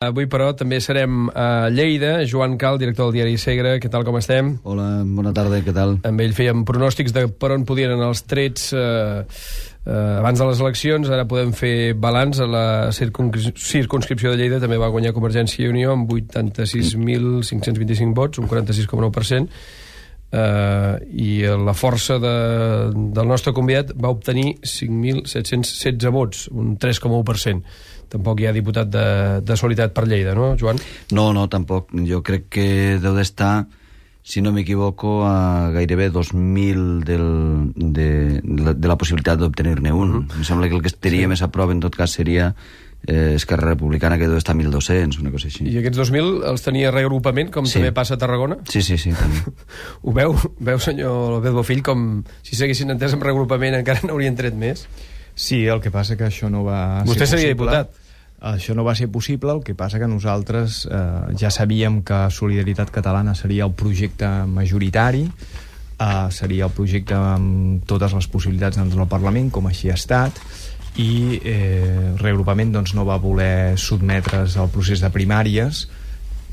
Avui, però, també serem a Lleida. Joan Cal, director del diari Segre. Què tal, com estem? Hola, bona tarda, què tal? Amb ell fèiem pronòstics de per on podien anar els trets abans de les eleccions. Ara podem fer balanç. A la circumscripció de Lleida també va guanyar Convergència i Unió amb 86.525 vots, un 46,9%. I la força del nostre convidat va obtenir 5.716 vots, un 3,1%. Tampoc hi ha diputat de Solidaritat per Lleida, no, Joan? No, tampoc. Jo crec que deu d'estar, si no m'equivoco, a gairebé 2.000 de la possibilitat d'obtenir-ne un. Em sembla que el que estaria més a prop, en tot cas, seria Esquerra Republicana, que deu estar a 1.200, una cosa així. I aquests 2.000 els tenia reagrupament, com també passa a Tarragona? Sí, també. Ho veu, senyor López Bofill, com si s'haguessin entès amb reagrupament encara n'haurien tret més? Sí, el que passa que això no va ser possible. Vostè seria diputat. Això no va ser possible, el que passa que nosaltres ja sabíem que Solidaritat Catalana seria el projecte majoritari, seria el projecte amb totes les possibilitats dins del Parlament, com així ha estat, i reagrupament doncs, no va voler sotmetre's al procés de primàries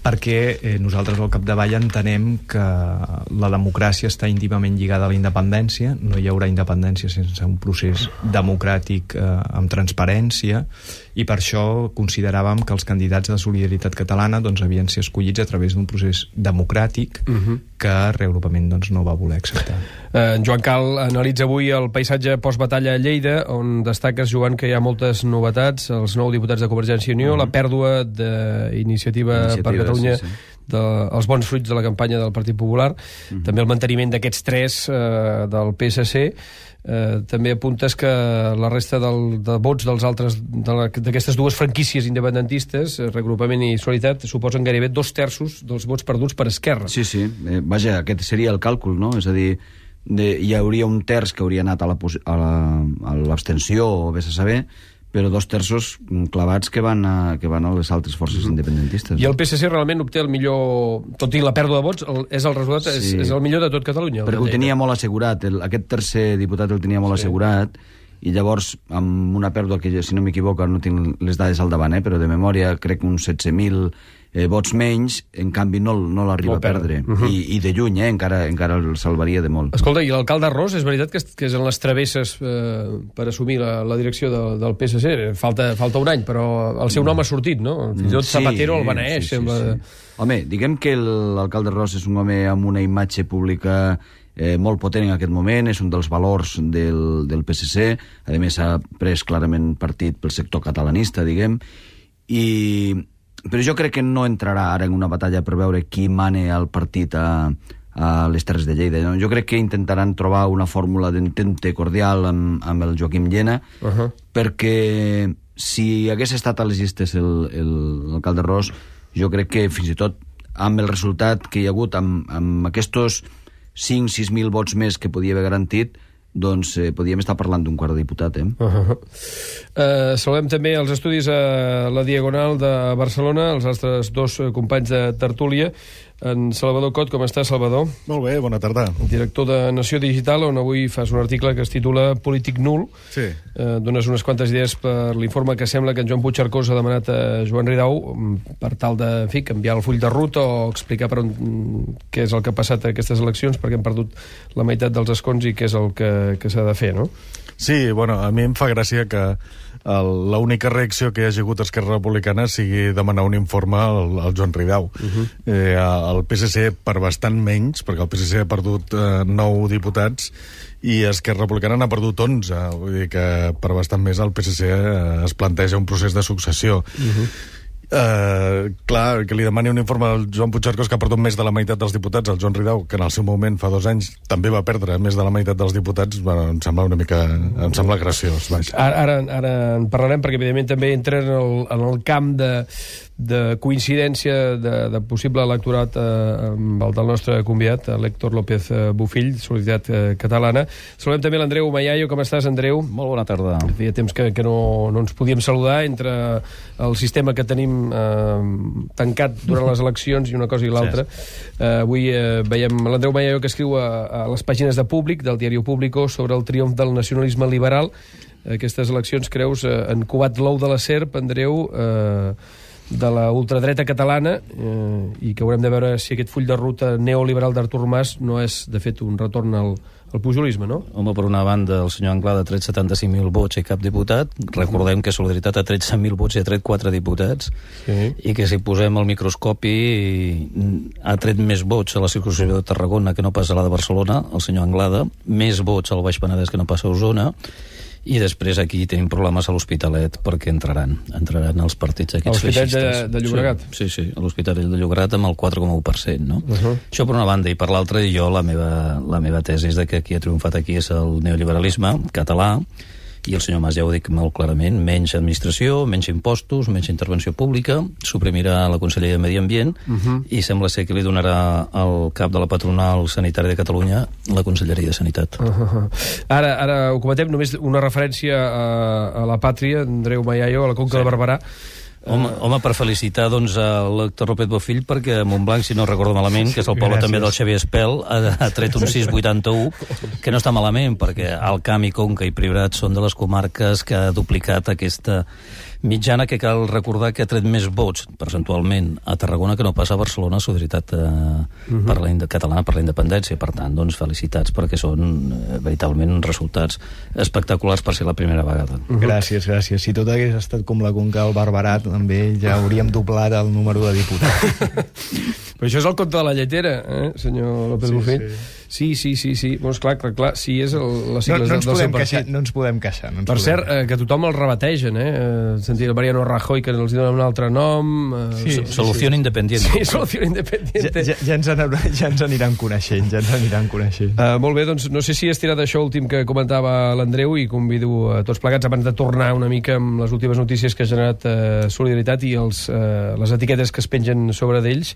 perquè nosaltres al capdavall entenem que la democràcia està íntimament lligada a la independència. No hi haurà independència sense un procés democràtic amb transparència, i per això consideràvem que els candidats de Solidaritat Catalana doncs, havien de ser escollits a través d'un procés democràtic que reagrupament doncs, no va voler acceptar. Joan Cal analitza avui el paisatge postbatalla a Lleida, on destaques, Joan, que hi ha moltes novetats, els 9 diputats de Convergència i Unió, la pèrdua d'Iniciativa per Catalunya, els bons fruits de la campanya del Partit Popular, també el manteniment d'aquests 3 del PSC. També apuntes que la resta de vots dels altres d'aquestes dues franquícies independentistes, Reagrupament i Solidaritat, suposen gairebé 2/3 dels vots perduts per Esquerra. Sí. Vaja, aquest seria el càlcul, no? És a dir, hi hauria un terç que hauria anat a l'abstenció, o vés a saber, però 2/3 clavats que van a les altres forces independentistes. I el PSC realment obté el millor, tot i la pèrdua de vots, és el resultat, és el millor de tot Catalunya. Perquè ho tenia molt assegurat, aquest tercer diputat el tenia molt assegurat, i llavors, amb una pèrdua que, si no m'equivoco, no tinc les dades al davant, però de memòria crec uns 16.000 vots menys, en canvi no l'arriba a perdre. I de lluny, encara el salvaria de molt. Escolta, i l'alcalde Ros, és veritat que és en les travesses per assumir la direcció del PSC? Falta un any, però el seu nom ha sortit, no? Fins i tot Zapatero el beneeix, sembla. Home, diguem que l'alcalde Ros és un home amb una imatge pública molt potent en aquest moment, és un dels valors del PSC, a més ha pres clarament partit pel sector catalanista, diguem, però jo crec que no entrarà ara en una batalla per veure qui mane el partit a les Terres de Lleida. Jo crec que intentaran trobar una fórmula d'entente cordial amb el Joaquim Llena, perquè si hagués estat a les llistes l'alcalde Ros, jo crec que fins i tot amb el resultat que hi ha hagut, amb aquests 5.000-6.000 vots més que podia haver garantit, doncs podíem estar parlant d'un quart de diputat. Saludem també els estudis a la Diagonal de Barcelona, els nostres 2 companys de tertúlia. En Salvador Cot, com està, Salvador? Molt bé, bona tarda. Director de Nació Digital, on avui fas un article que es titula Polític nul. Sí. Dones unes quantes idees per l'informe que sembla que en Joan Puigcercós ha demanat a Joan Ridao per tal de, en fi, canviar el full de ruta o explicar què és el que ha passat a aquestes eleccions, perquè hem perdut la meitat dels escons i què és el que s'ha de fer, no? Sí, bueno, a mi em fa gràcia que l'única reacció que hi hagi hagut a Esquerra Republicana sigui demanar un informe al Joan Ridao. El PSC per bastant menys, perquè el PSC ha perdut 9 diputats i Esquerra Republicana n'ha perdut 11. Vull dir que per bastant més el PSC es planteja un procés de successió. Clar, que li demani un informe al Joan Puigcercós, que ha perdut més de la meitat dels diputats, al Joan Ridao, que en el seu moment, fa 2 anys, també va perdre més de la meitat dels diputats, bueno, em sembla graciós. Ara en parlarem, perquè evidentment també entra en el camp de coincidència de possible electorat amb el del nostre convidat, l'Héctor López Bofill, Solidaritat Catalana. Saludem també l'Andreu Mayayo. Com estàs, Andreu? Molt bona tarda. Feia temps que no ens podíem saludar entre el sistema que tenim tancat durant les eleccions i una cosa i l'altra. Avui veiem l'Andreu Mayayo, que escriu a les pàgines de Públic, del diari Público, sobre el triomf del nacionalisme liberal. Aquestes eleccions, creus, han covat l'ou de la serp, Andreu, de la ultradreta catalana i que haurem de veure si aquest full de ruta neoliberal d'Artur Mas no és, de fet, un retorn al pujolisme, no? Home, per una banda, el senyor Anglada ha tret 75.000 vots i cap diputat. Recordem que Solidaritat ha tret 100.000 vots i ha tret 4 diputats. Sí. I que si posem el microscopi ha tret més vots a la circulació de Tarragona que no pas a la de Barcelona, el senyor Anglada, més vots al Baix Penedès que no pas a Osona. I després aquí tenim problemes a l'Hospitalet perquè entraran els partits aquests feixistes. A l'Hospitalet de Llobregat? Sí, a l'Hospitalet de Llobregat amb el 4,1%, no? Això per una banda, i per l'altra, jo la meva tesi és que qui ha triomfat aquí és el neoliberalisme català, i el senyor Mas ja ho dic molt clarament, menys administració, menys impostos, menys intervenció pública, suprimirà la Conselleria de Medi Ambient i sembla ser que li donarà al cap de la patronal sanitària de Catalunya la Conselleria de Sanitat. Ara ho comentem, només una referència a la pàtria, Andreu Mayayo, a la Conca de Barberà. Home, per felicitar doncs, l'Héctor López Bofill, perquè a Montblanc, si no recordo malament, que és el poble també del Xavier Espel, ha tret un 6,81, que no està malament, perquè Alt Camp i Conca i Priorat són de les comarques que ha duplicat aquesta mitjana, que cal recordar que ha tret més vots percentualment a Tarragona que no passa a Barcelona, Solidaritat Catalana per la Independència. Per tant, doncs, felicitats, perquè són veritablement resultats espectaculars per ser la primera vegada. Gràcies. Si tot hagués estat com la Conca del Barberà, també ja hauríem doblat el número de diputats. Però això és el conte de la lletera, senyor López Bofill? Sí. Doncs clar, sí, és les sigles del seu partit. No ens podem queixar. Per cert, que tothom el rebategen, sentir el Mariano Rajoy, que els donen un altre nom... Solució Independiente. Sí, Solució Independiente. Ja ens aniran coneixent, Molt bé, doncs no sé si has tirat això últim que comentava l'Andreu, i convido a tots plegats, abans de tornar una mica amb les últimes notícies que ha generat Solidaritat i les etiquetes que es pengen sobre d'ells,